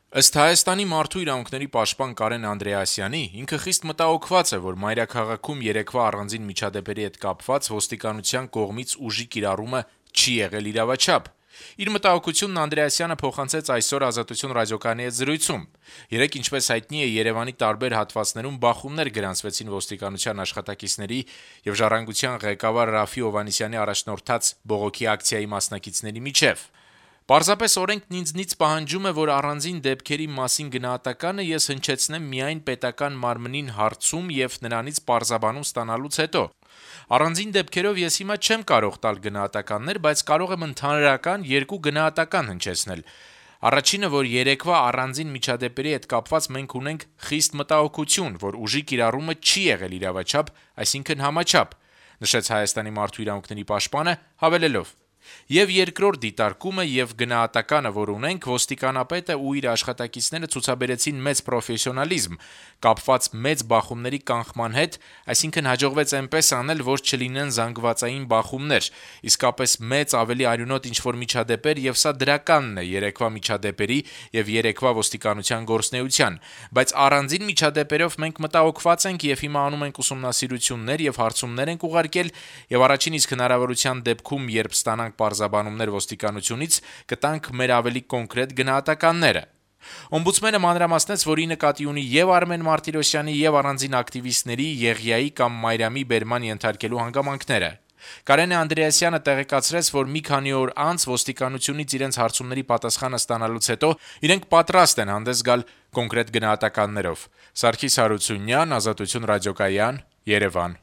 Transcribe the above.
Ըստ Հայաստանի մարդու իրավունքների պաշտպան Կարեն Անդրեասյանի, ինքը խիստ մտահոգված է, որ մայրաքաղաքում երեկվա առանձին միջադեպերի հետ կապված ոստիկանության կողմից ուժի կիրառումը չի եղել իրավաչափ: Իր մտահոգությունն Անդրեասյանը փոխանցեց այսօր «Ազատություն» ռադիոկայանի հետ զրույցում: Երեկ, ինչպես հայտնի է, Երեւանի տարբեր հատվածներում բախումներ գրանցվեցին ոստիկանության աշխատակիցների եւ «Ժառանգության» ղեկավար Րաֆֆի Հովհաննիսյանի առաջնորդած բողոքի ակցիայի մասնակիցների միջեւ: «Պարզապես օրենքն ինձնից պահանջում է, որ առանձին դեպքերի մասին գնահատականը ես հնչեցնեմ միայն պետական մարմնին հարցում եւ նրանից պարզաբանում ստանալուց հետո: Առանձին դեպքերով ես հիմա չեմ կարող տալ գնահատականներ, բայց կարող եմ ընդհանրական երկու գնահատական հնչեցնել: Առաջինը, որ երեկվա առանձին միջադեպերի հետ կապված մենք ունենք խիստ մտահոգություն, որ ուժի կիրառումը չի եղել իրավաչափ, այսինքն համաչափ», - նշեց Հայաստանի մարդու իրավունքների պաշտպանը, հավելելով. - «Եվ երկրորդ դիտարկումը եւ գնահատականը, որ ունենք, ոստիկանապետը ու իր աշխատակիցները ցուցաբերեցին մեծ պրոֆեսիոնալիզմ` կապված մեծ բախումների կանխման հետ, այսինքն հաջողվեց այնպես անել, որ չլինեն զանգվածային բախումներ, իսկապես մեծ, ավելի արյունոտ ինչ-որ միջադեպեր, եւ սա դրականն է երեկվա միջադեպերի եւ երեկվա ոստիկանության գործունեության: Բայց առանձին միջադեպերով մենք մտահոգված ենք եւ հիմա անում ենք ուսումնասիրություններ եւ հարցումներ ենք ուղարկել եւ առաջին իսկ հնարավորության դեպքում, երբ ստանանք պարզաբանումներ ոստիկանությունից, կտանք մեր ավելի կոնկրետ գնահատականները»: Օմբուդսմենը մանրամասնեց, որ ի նկատի ունի եւ Արմեն Մարտիրոսյանի, եւ առանձին ակտիվիստների Եղիայի կամ Մարիամի բերման ենթարկելու հանգամանքները: Կարեն Անդրեասյանը տեղեկացրեց, որ մի քանի օր անց ոստիկանությունից իրենց հարցումների պատասխանը ստանալուց հետո իրենք պատրաստ են հանդես գալ կոնկրետ գնահատականներով: Սարգիս Հարությունյան, «Ազատություն» ռադիոկայան, Երեւան: